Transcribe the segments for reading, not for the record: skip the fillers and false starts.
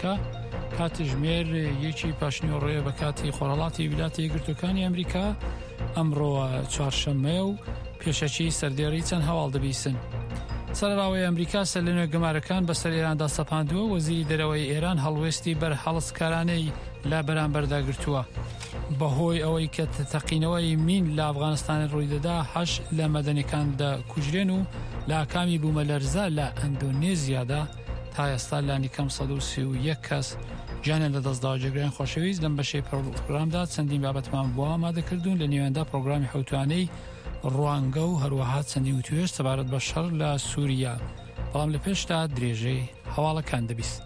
کە کاتژمێر یەکی پاشنیوەڕۆیە بە کاتی خۆرهەڵاتی ویلایەتە یەکگرتووەکانی ئەمریکا ئەمڕۆ چوارشەممەیە و پێشەکی سەردێڕی چەند هەواڵ دەبیسن. سەرەڕاوەی ئەمریکا سەر لە نوێ گەمارەکان بەسەر ئێراندا سەپاندووە وەزیری دەرەوەی ئێران هەڵوێستی بەرهەڵستکارانەی لە بەرامبەردا گرتووە. بەهۆی ئەوەی کە تەقینەوەی مین لە ئەفغانستان ڕوویدەدا هەش لە مەدەنیەکان دەکوژرێن و لە ئاکامی بوومەلەرزە لە ئەندۆنێزیادا تا ئێستا لانیکەم 131 کەس گیانیان لەدەستداوە. جێگرانی خۆشەویست لەم بەشەی پرۆگرامدا چەندین بابەتمان بۆ ئامادەکردوون لە نێواندا پرۆگرامی حوتوانەی ڕوانگە و هەروەها چەندین وتوێژ سەبارەت بە شەڕ لە سووریا بەڵام لە پێشدا درێژەی هەواڵەکان دەبیست.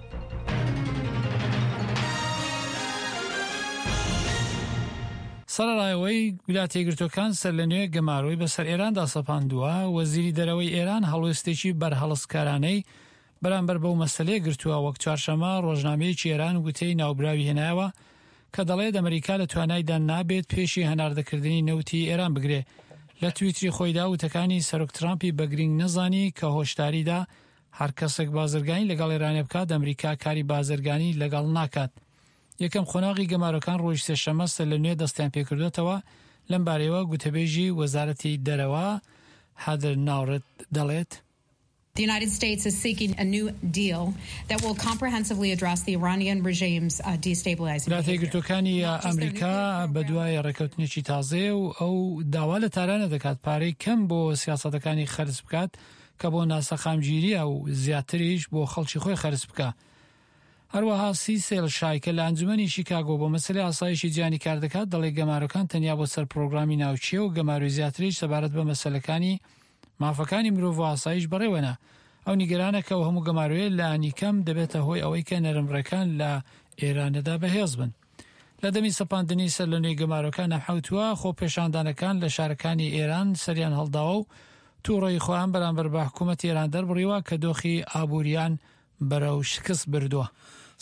سەرەڕای ئەوەی ویلایەتە یەکگرتووەکان سەرلەنوێ گەمارۆی بەسەر ئێراندا سەپاندووە، وەزیری دەرەوەی ئێران هەڵوێستێکی بەرهەڵستکارانەی بەرامبەر بەو مەسەلەیە گرتووە، وەک چوارشەممە ڕۆژنامەیەکی ئێران وتەی ناوبراوی هێنایەوە کە دەڵێت ئەمریکا لە توانایدا نابێت پێشی هەناردەکردنی نەوتی ئێران بگرێ. لە تویتری خۆیدا وتەکانی سەرۆک ترامپی بە گرینگ نەزانی کە هۆشداریدا هەر کەسێک بازرگانی لەگەڵ ئێرانێ بکات ئەمریکا کاری بازرگانی لەگەڵ ناکات. یەکەم قۆناغی گەمارۆکان ڕۆژی سێشەممە سەرلەنوێ دەستیان پێکردووەتەوە، لەمبارەیەوە گوتەبێژی وەزارەتی دەرەوە هادر ناورت دەڵێت، The United States is seeking a new deal that will comprehensively address the Iranian regime's destabilizing ویلایەتە behavior. یەکگرتووەکانی ئەمریکا بەدوای ڕێککەوتنێکی تازەیە و ئەو داوا لە تارانە دەکات پارەی کەم بۆ سیاسەتەکانی خەرج بکات کە بۆ ناسەقامگیرییە و زیاتریش بۆ خەڵکی خۆی خەرج بکا. هەروەها سیسێل شای کە لە ئەنجومەنی شیکاگۆ بۆ مەسەلەی ئاسایشی جیهانی کار دەکات دەڵێ گەمارۆکان تەنیا بۆ سەر پرۆگرامی ناوکییە و گەمارۆی زیاتریش سەبارەت بە مەسەلەکانی مافەکانی مرۆڤ و ئاسایش بەڕێوەنە. ئەو نیگەرانە کە ئەو هەموو گەمارۆیە لانیکەم دەبێتە هۆی ئەوەی کە نەرمڕێکان لە ئێرانەدا بەهێز بن. لە دەمی سەپاندنی سەرلەنوێی گەمارۆکان ئەم حەوتووە خۆپێشاندانەکان لە شارەکانی ئێران سەریان هەڵداوە و تووڕەیی خۆیان بەرامبەر بە حکوومەتی ئێران دەربڕیوە کە دۆخی ئابووریان بەرەو شکست بردووە.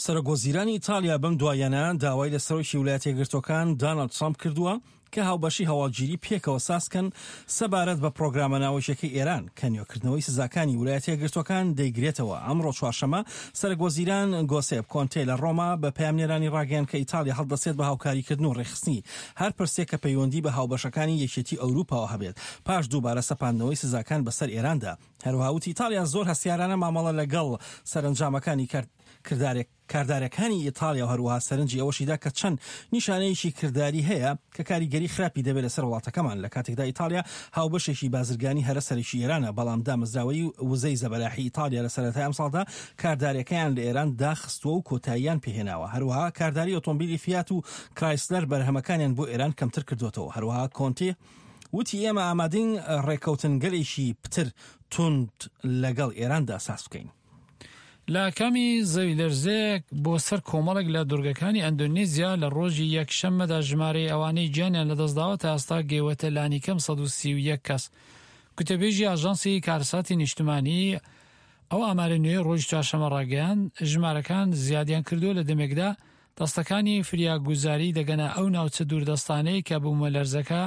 سەرۆک وەزیرانی ئیتاڵیا بەم دواییانە داوای لە سەرۆکی ویلایەتە یەکگرتووەکان داناڵد ترامپ کردووە کە هاوبەشی هەواڵگیری پێکەوە سازکەن سەبارەت بە پرۆگرامە ناوەکیەکەی ئێران کە نوێکردنەوەی سزاکانی ویلایەتە یەکگرتووەکان دەیگرێتەوە. ئەمڕۆ چوارشەممە سەرەک وەزیران گۆسێپ کۆنتێ لە ڕۆما بە پەیامنێرانی ڕاگەیاند کە ئیتاڵیا هەڵدەستێت بە هاوکاریکردن و ڕێکخستنی هەر پرسێک کە پەیوەندی بە هاوبەشەکانی یەکێتی ئەوروپاوە هەبێت پاش دووبارە سەپاندنەوەی سزاکان بەسەر ئێراندا. هەروەها وتی ئیتاڵیا زۆر هەستیارانە مامەڵە لەگەڵ سەرەنجامەکانی کردارێک کاردارەکانی ئیتاڵیا و هەروەها سەرنجی ئەوەشیدا کە چەند نیشانەیەکی کرداری هەیە کە کاریگەری خراپی دەبێت لەسەر وڵاتەکەمان لە کاتێکدا ئیتاڵیا هاوبەشێکی بازرگانی هەرە سەرەکی ئێرانە بەڵام دامەزراوەی وزەی زەبەلاحی ئیتاڵیا لە سەرەتای ئەمساڵدا کاردارەکەیان لە ئێران داخستووە و کۆتاییان پێهێناوە هەروەها کارداری ئۆتۆمبیلی فیات و کرایسلەر بەرهەمەکانیان بۆ ئێران کەمتر کردووەتەوە هەروەها کۆنتی وتی ئێمە ئامادەین ڕێککەوتنگەلێکی پتر توند لەگەڵ ئێراندا ساز بکەین. لە ئاکامی زەویلەرزەیەک بۆ سەر کۆمەڵێک لە دورگەکانی ئەندۆنیزیا لە ڕۆژی یەک شەممەدا ژمارەی ئەوانەی گیانیان لەدەستداوە تا ئێستا گەیوەتە لانیکەم 131 کەس. گوتەبێژی ئاژانسی کارەساتی نیشتمانی ئەو ئامارە نوێی ڕۆژی چوارشەممە ڕاگەیاند، ژمارەکان زیادیان کردووە لە دەمێکدا دەستەکانی فریاگوزاری دەگەنە ئەو ناوچە دووردەستانەی کە بوومەلەرزەکە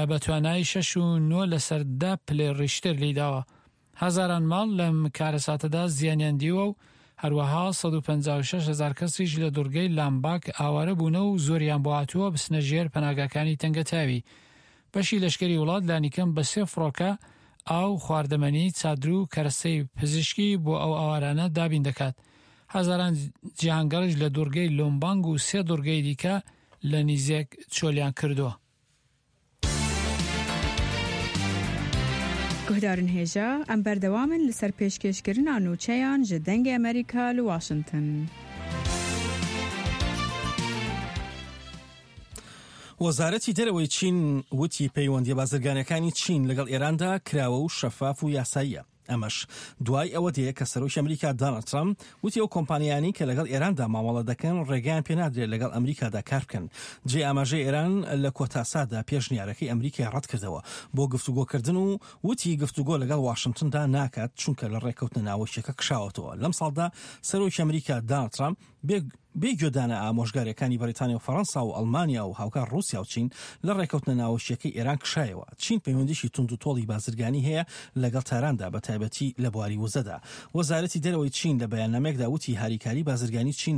بە توانای شەش و نۆ لەسەر دە پلەی ڕیشتر لێیداوە. هەزاران ماڵ لەم کارەساتەدا زیانیان دیوە و هەروەها 156 هەزار کەسیش لە دوڕگەی لامباک ئاوارە بوونە و زۆریان بۆ هاتووە بچنە ژێر پەناگاکانی تەنگەتاوی. بەشی لەشکری وڵات لانیکەم بە سێ فڕۆکە ئاو، خواردەمەنی، چادر و کەرەستەی پزیشکی بۆ ئەو ئاوارانە دابین دەکات. هەزاران جیهانگەڕیش لە دوڕگەی لۆمبانگ و سێ دوڕگەی دیکە لە نیزێک چۆلیان کردووە. Guhdarên hêja, em berdewam in li ser pêşkêşkirina nûçeyan ji Dengê Amerîka li Washington. وەزارەتی دەرەوەی چین وتی پەیوەندیە بازرگانیەکانی چین لەگەڵ ئێراندا کراوە و شەفاف و یاساییە. ئەمەش دوای ئەوە دێ کە سەرۆکی ئەمریکا داناڵد ترەمپ وتی ئەو کۆمپانیایانەی کە لەگەڵ ئێراندا مامەڵە دەکەن ڕێگەیان پێنادرێت لەگەڵ ئەمریکادا کار بکەن. جێی ئاماژەیە ئێران لە کۆتا ساتدا پێشنیارەکەی ئەمریکای ڕەتکردەوە بۆ گفتوگۆکردن و وتی گفتوگۆ لەگەڵ واشنتندا ناکات چونکە لە ڕێککەوتنە ناوەکیەکە کشاوەتەوە. لەم ساڵدا سەرۆکی ئەمریکا داناڵد ترەمپ بێ. بێ گوێدانە ئامۆژگاریەکانی بەریتانیا و فەرەنسا و ئەڵمانیا و هاوکار ڕووسیا و چین لە ڕێکەوتنە ناوەکییەکەی ئێران کشایەوە. چین پەیوەندیی توندوتۆڵی بازرگانی هەیە لەگەڵ تاراندا بە تایبەتی لە بواری وزەدا. وەزارەتی دەرەوەی چین لە بەیاننامەیەکدا وتی هاریکاری بازرگانی چین.